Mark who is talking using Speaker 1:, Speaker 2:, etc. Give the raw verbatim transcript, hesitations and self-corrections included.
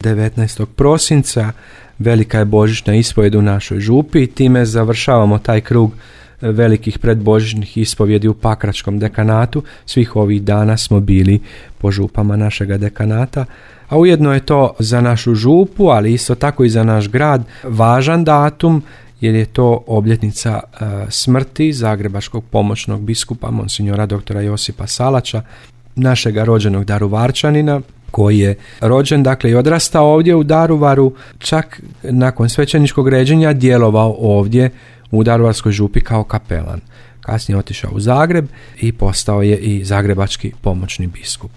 Speaker 1: devetnaestog prosinca velika je božićna ispovijed u našoj župi i time završavamo taj krug velikih predbožićnih ispovjedi u Pakračkom dekanatu. Svih ovih dana smo bili po župama našega dekanata, a ujedno je to za našu župu, ali isto tako i za naš grad važan datum, jer je to obljetnica e, smrti zagrebačkog pomoćnog biskupa monsinjora doktora Josipa Salača, našega rođenog Daruvarčanina, koji je rođen, dakle, i odrastao ovdje u Daruvaru, čak nakon svećeničkog ređenja djelovao ovdje u Daruvarskoj župi kao kapelan. Kasnije otišao u Zagreb i postao je i zagrebački pomoćni biskup.